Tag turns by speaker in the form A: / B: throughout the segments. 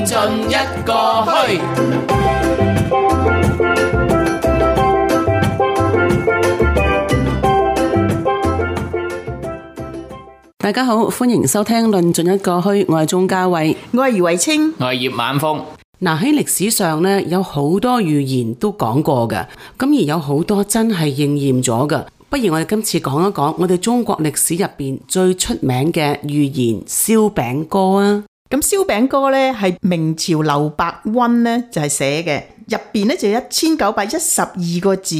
A: 盡一個墟。
B: 大家好，歡迎收聽論盡一個墟，我係鍾嘉慧，
C: 我係余慧清，
A: 我係葉晚風。
B: 嗱，喺歷史上咧，有好多預言都講過嘅，咁而有好多真係應驗咗嘅。不如我哋今次講一講我哋中國歷史入邊最出名嘅預言燒餅歌啊！
C: 咁燒餅歌咧係明朝劉伯溫咧就係寫嘅，入邊咧就1912個字，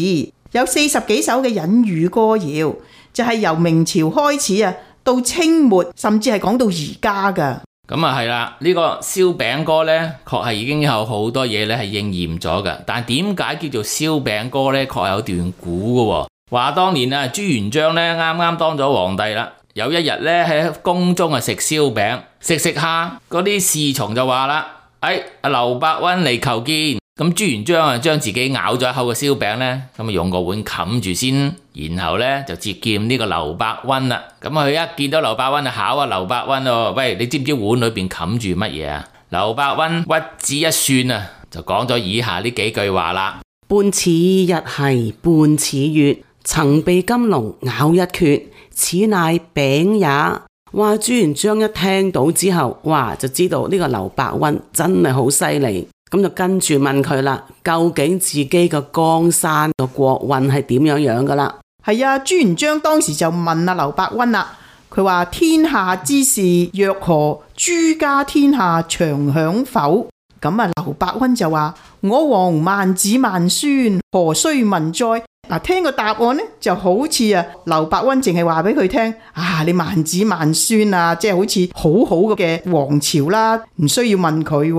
C: 有40幾首嘅隱喻歌謠，就係由明朝開始啊，到清末，甚至係講到而家噶。
A: 咁啊係啦，呢個燒餅歌呢，確係已經有好多嘢咧係應驗咗嘅。但點解叫做燒餅歌呢？確係有段古嘅。話當年啊，朱元璋呢啱啱當咗皇帝啦，有一日呢喺宮中啊食燒餅，食下嗰啲侍從就話啦：阿劉伯溫嚟求見。咁朱元璋啊，將自己咬咗一口嘅燒餅呢，咁啊用個碗冚住先，然後呢就接見呢個劉伯溫啦。咁佢一見到劉伯溫就考啊劉伯溫喎，喂，你知唔知碗裏邊冚住乜嘢啊？劉伯溫屈指一算啊，就講咗以下呢幾句話啦：
B: 半似日系半似月，曾被金龍咬一缺，此乃餅也。哇！朱元璋一聽到之後，哇，就知道呢個劉伯溫真係好犀利。咁就跟住問佢啦，究竟自己個江山個國運係點樣噶啦？
C: 係啊，朱元璋當時就問劉伯溫啦，佢話天下之事若何？諸家天下長享否？咁啊，劉伯溫就話：我王萬子萬孫，何須問哉？嗱，聽個答案呢，就好似啊，劉伯溫淨係話俾佢聽啊，你萬子萬孫啊，即係好似好好嘅王朝啦，唔需要問佢。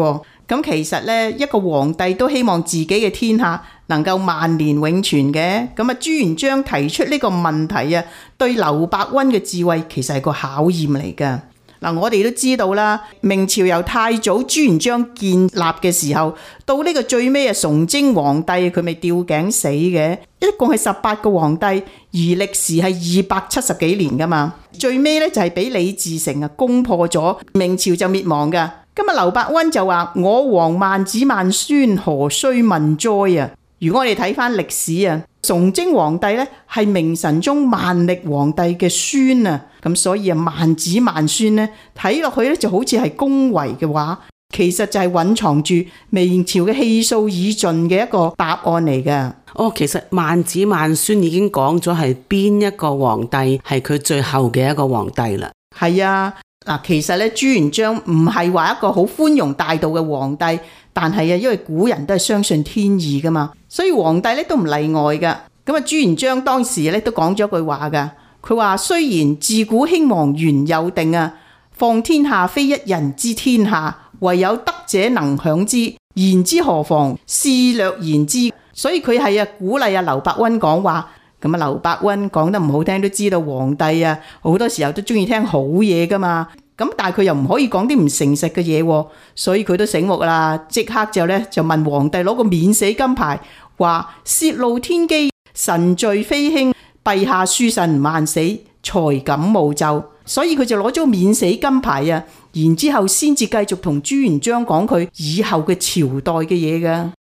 C: 咁其實呢，一個皇帝都希望自己嘅天下能夠萬年永存嘅。咁啊，朱元璋提出呢個問題啊，對劉伯溫嘅智慧其實係個考驗嚟噶。嗱，我哋都知道啦，明朝由太祖朱元璋建立嘅時候，到呢個最尾啊，崇禎皇帝佢咪吊頸死嘅，一共係18個皇帝，而歷時係270幾年噶嘛。最尾呢，就係俾李自成啊攻破咗，明朝就滅亡噶。今日劉伯溫就話：我王萬子萬孫，何須問哉啊！如果我哋睇翻歷史啊，崇禎皇帝咧係明神宗萬曆皇帝嘅孫啊，咁所以啊萬子萬孫咧睇落去咧就好似係恭維嘅話，其實就係蘊藏住明朝嘅氣數已盡嘅一個答案嚟噶。
B: 哦，其實萬子萬孫已經講咗係邊一個皇帝係佢最後嘅一個皇帝啦。
C: 係啊。嗱，其實咧，朱元璋唔係話一個好寬容大度嘅皇帝，但係啊，因為古人都係相信天意噶嘛，所以皇帝咧都唔例外噶。咁啊，朱元璋當時咧都講咗句話噶，佢話雖然自古興亡原有定啊，況天下非一人之天下，唯有德者能享之，言之何妨？試略言之。所以佢係鼓勵劉伯溫講話。咁啊，劉伯溫講得唔好聽都知道皇帝啊，好多時候都中意聽好嘢噶嘛。咁但係佢又唔可以講啲唔誠實嘅嘢，所以佢都醒目啦，即刻就問皇帝攞個免死金牌，話泄露天機，臣罪非輕，陛下恕臣萬死，才敢冒奏。所以佢就攞咗個免死金牌啊，然之後先至繼續同朱元璋講佢以後嘅朝代嘅嘢噶。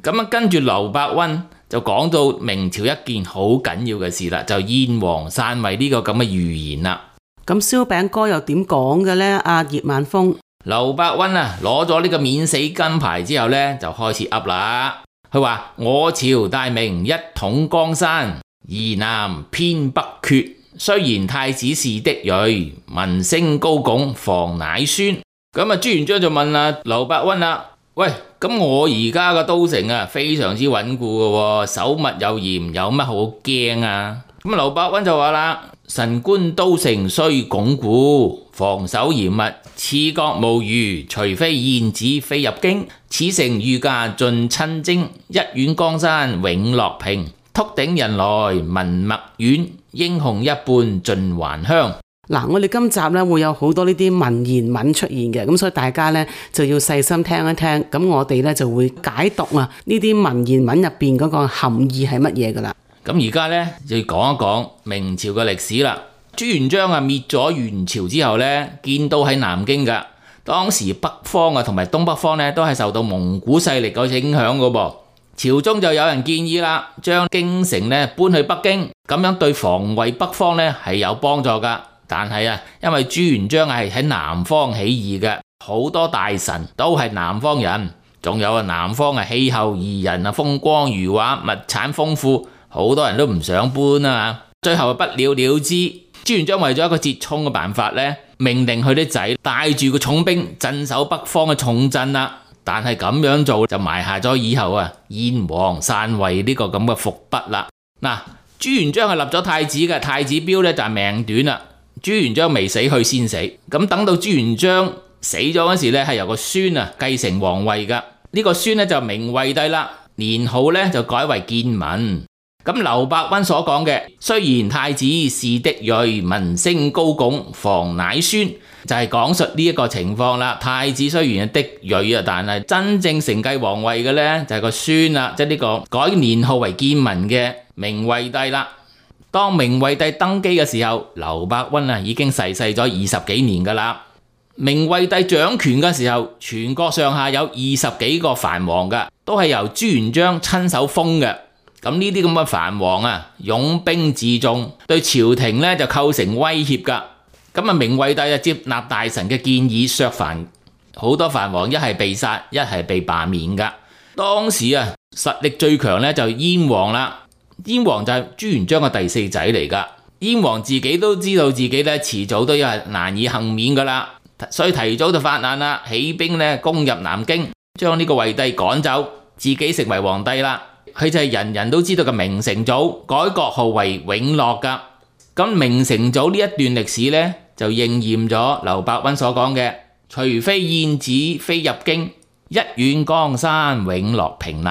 A: 咁啊，跟住劉伯溫就講到明朝一件好緊要嘅事啦，就燕王篡位呢個咁嘅預言啦。
B: 咁燒餅歌又點講嘅呢？阿葉晚風，
A: 劉伯溫啊，攞咗呢個免死金牌之後呢，就開始噏啦。佢話：我朝大明一統江山，夷南偏北缺。雖然太子是的裔，民聲高拱，房乃孫。咁啊，朱元璋就問劉伯溫啦。喂，咁我而家個都城啊，非常之穩固嘅，守密又嚴，有乜好驚啊？咁劉伯溫就話啦：臣觀都城雖鞏固，防守嚴密，刺角無虞，除非燕子飛入京，此城御駕盡親征，一遠江山永樂平，禿頂人來民脈遠，英雄一半盡還鄉。
B: 嗱，我哋今集咧會有好多呢啲文言文出現嘅，咁所以大家咧就要細心聽一聽，咁我哋咧就會解讀啊呢啲文言文入邊嗰個含義係乜嘢噶啦。
A: 咁而家咧就要講一講明朝嘅歷史啦。朱元璋滅咗元朝之後咧，建都喺南京噶，當時北方啊同埋東北方咧都係受到蒙古勢力嘅影響嘅噃。朝中就有人建議啦，將京城咧搬去北京，咁樣對防衛北方咧係有幫助噶。但係啊，因為朱元璋係喺南方起義嘅，好多大臣都係南方人，仲有啊南方啊氣候宜人啊，風光如畫，物產豐富，好多人都唔想搬啊。最後不了了之。朱元璋為咗一個折衷嘅辦法咧，命令佢啲仔帶住個重兵鎮守北方嘅重鎮啦。但係咁樣做就埋下咗以後啊燕王篡位呢個咁嘅伏筆啦。嗱，朱元璋係立咗太子嘅，太子標咧就係命短啦。朱元璋未死佢先死，咁等到朱元璋死咗嗰時咧，係由個孫啊繼承皇位噶。呢個孫咧就明惠帝啦，年號咧就改為建文。咁劉伯溫所講嘅，雖然太子是嫡裔，名聲高拱，房乃孫，就係講述呢一個情況啦。太子雖然係嫡裔啊，但係真正承繼皇位嘅咧就係個孫啦，即係呢個改年號為建文嘅明惠帝啦。當明惠帝登基嘅時候，劉伯溫啊已經逝世咗20幾年噶啦。明惠帝掌權嘅時候，全國上下有20幾個藩王噶，都係由朱元璋親手封嘅。咁呢啲咁嘅藩王啊，擁兵自重，對朝廷咧就構成威脅噶。咁啊，明惠帝就接納大臣嘅建議削藩，好多藩王一係被殺，一係被罷免噶。當時啊，實力最強咧就燕王啦。燕王就係朱元璋嘅第四仔嚟噶。燕王自己都知道自己咧遲早都係難以幸免噶啦，所以提早就發難啦，起兵咧攻入南京，將呢個惠帝趕走，自己成為皇帝啦。佢就係人人都知道嘅明成祖，改國號為永樂噶。咁明成祖呢一段歷史呢，就應驗咗劉伯溫所講嘅，除非燕子飛入京，一遠江山永樂平立。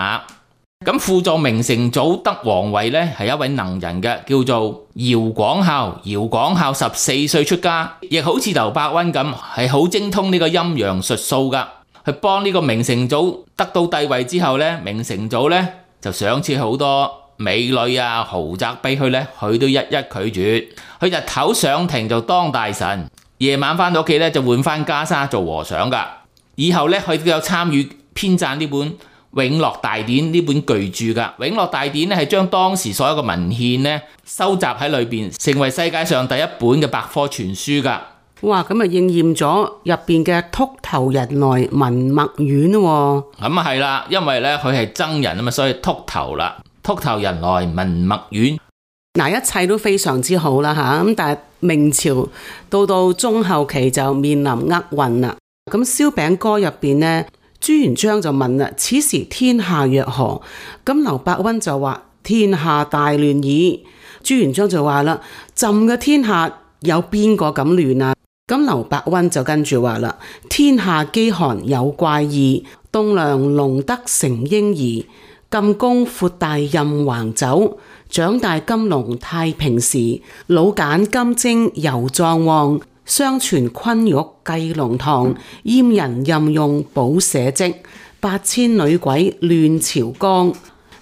A: 咁輔助明成祖得皇位呢，係一位能人嘅，叫做姚廣孝。姚廣孝14歲出家，亦好似劉伯溫咁，係好精通呢個陰陽術數噶。去幫呢個明成祖得到帝位之後呢，明成祖呢，就賞賜好多美女啊、豪宅俾佢呢，佢都一一拒絕。佢日頭上庭就當大臣，夜晚翻到屋企呢，就換翻袈裟做和尚噶。以後呢，佢都有參與編撰呢本《永樂大典》呢本巨著噶。《永樂大典》呢係將當時所有嘅文獻呢收集喺裏邊，成為世界上第一本嘅百科全書噶。
B: 哇！咁啊應驗咗入邊嘅禿頭人來文墨丸喎。
A: 咁啊係啦，因為咧佢係僧人啊嘛，所以禿頭啦。禿頭人來文墨丸。嗱，一切都非常之好啦嚇。咁但係明朝到中後期就面臨厄運啦。咁燒餅歌入邊呢，朱元璋就問啦：此時天下若何？咁劉伯溫就話：天下大亂矣。朱元璋就話啦：朕嘅天下有邊個咁亂啊？咁劉伯溫就跟住話啦：天下飢寒有怪異，棟梁隆德成嬰兒，禁宮闊大任橫走，長大金龍太平時，老繭金睛猶壯旺，相傳昆玉繼龍堂，閹人任用補社稷，8000女鬼亂朝綱。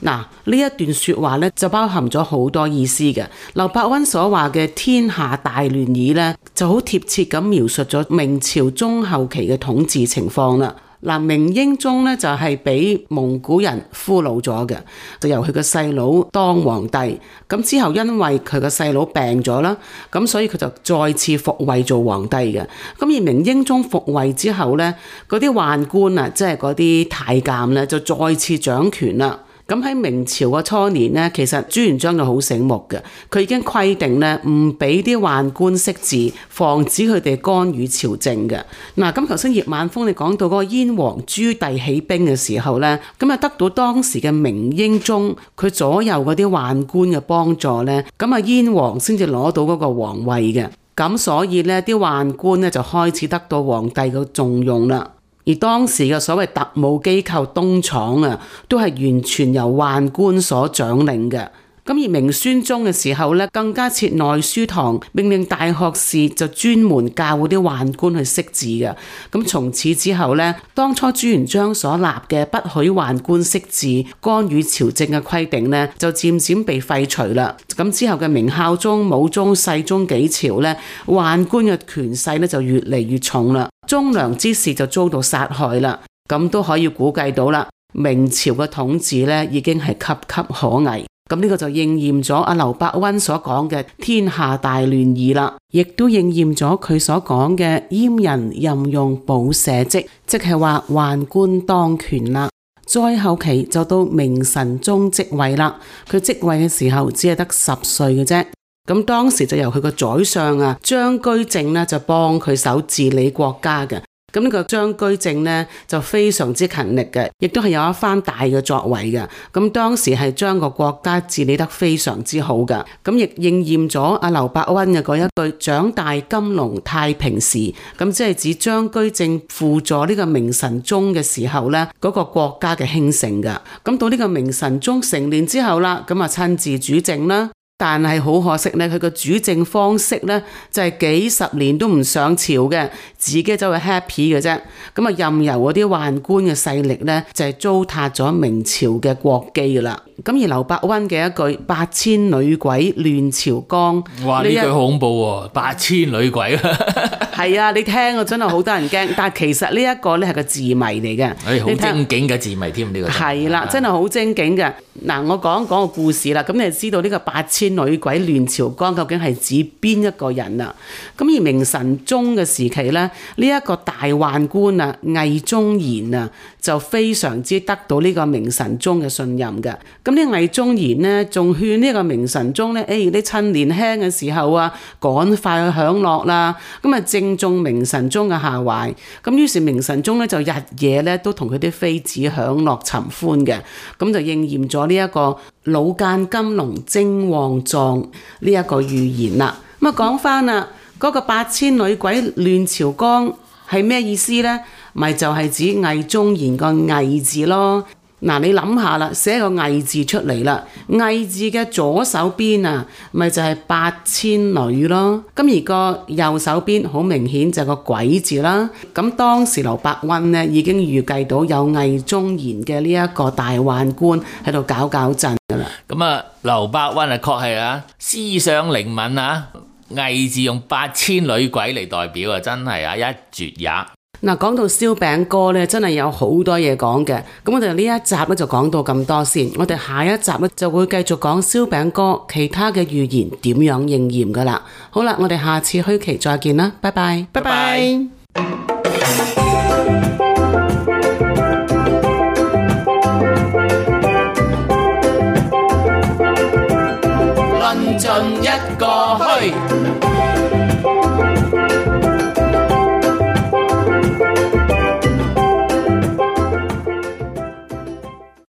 A: 嗱，呢一段說話咧就包含咗好多意思嘅。劉伯溫所話嘅天下大亂矣咧，就好貼切咁描述咗明朝中後期嘅統治情況啦。嗱，明英宗咧就係俾蒙古人俘虜咗嘅，就由佢個細佬當皇帝。咁之後因為佢個細佬病咗啦，咁所以佢就再次復位做皇帝嘅。咁而明英宗復位之後咧，嗰啲宦官啊，即係嗰啲太監咧，就再次掌權啦。咁喺明朝嘅初年呢，其實朱元璋就好醒目嘅，佢已經規定咧唔俾啲宦官識字，防止佢哋干預朝政嘅。嗱，咁頭先葉晚風你講到嗰個燕王朱棣起兵嘅時候咧，咁啊得到當時嘅明英宗佢左右嗰啲宦官嘅幫助咧，咁啊燕王先至攞到嗰個皇位嘅。咁所以咧啲宦官咧就開始得到皇帝嘅重用啦。而當時嘅所謂特務機構東廠啊，都係完全由宦官所掌領嘅。咁而明宣宗嘅時候咧，更加設內書堂，命令大學士就專門教嗰啲宦官去識字嘅。咁從此之後咧，當初朱元璋所立嘅不許宦官識字、干預朝政嘅規定咧，就漸漸被廢除啦。咁之後嘅明孝宗、武宗、世宗幾朝咧，宦官嘅權勢咧就越嚟越重啦。
B: 忠良之士就遭到殺害啦。咁都可以估計到啦，明朝嘅統治呢已經係岌岌可危。咁呢個就應驗咗阿劉伯溫所講嘅天下大亂矣啦，亦都應驗咗佢所講嘅閹人任用補社稷，即係話宦官當權啦。再後期就到明神宗即位啦，佢即位嘅時候只係得10歲嘅啫。咁當時就由佢個宰相啊張居正呢就幫佢手治理國家嘅。咁呢個張居正呢就非常之勤力嘅，亦都係有一番大嘅作為嘅。咁當時係將個國家治理得非常之好嘅。咁亦應驗咗阿劉伯溫嘅嗰一句長大金龍太平時，咁即係指張居正輔助呢個明神宗嘅時候呢，嗰個國家嘅興盛嘅。咁到呢個明神宗成年之後啦，咁啊親自主政啦。但係好可惜呢，佢個主政方式呢，就係幾十年都唔上朝嘅，自己就係 happy 嘅啫。咁啊任由嗰啲宦官嘅勢力呢，就係糟蹋咗明朝嘅國基噶啦。咁而劉伯溫嘅一句8000女鬼亂朝綱，
A: 哇！呢句好恐怖喎，8000女鬼
B: 係啊，你聽啊真係好多人驚。但係其實呢一個呢係個字謎嚟嘅，
A: 好精警嘅字謎添呢個。
B: 係啦，真係好精警嘅。嗱，我講個故事啦，咁你就知道呢個8000女鬼亂朝綱究竟係指邊一個人啊？咁而明神宗嘅時期呢，呢一個大宦官啊魏忠賢啊，就非常之得到呢個明神宗嘅信任嘅。咁呢魏忠賢呢，仲勸呢個明神宗呢，你趁年輕嘅時候啊，趕快去享樂啦。咁啊正中明神宗嘅下懷。咁於是明神宗呢，就日夜呢都同佢啲妃子享樂尋歡嘅。咁就應驗咗呢一個老間金龍精旺壯呢一個預言啦。咁啊講翻啦，嗰個8000女鬼亂朝綱係咩意思呢？咪就係指魏忠賢個魏字咯。嗱，你諗下啦，寫個魏字出嚟啦，魏字嘅左手邊啊，咪就係8000女咯。咁而個右手邊好明顯就係個鬼字啦。咁當時劉伯溫呢已經預計到有魏忠賢嘅呢一個大宦官喺度搞震噶啦。
A: 咁啊，劉伯溫啊，確係啊，思想靈敏啊，魏字用8000女鬼嚟代表啊，真係啊一絕也。
B: 嗱，講到燒餅歌咧，真係有好多嘢講嘅。咁我哋呢一集咧就講到咁多先，我哋下一集咧就會繼續講燒餅歌其他嘅預言點樣應驗噶啦。好啦，我哋下次虛期再見啦，拜拜，
C: 拜拜。
A: 論盡一個虛。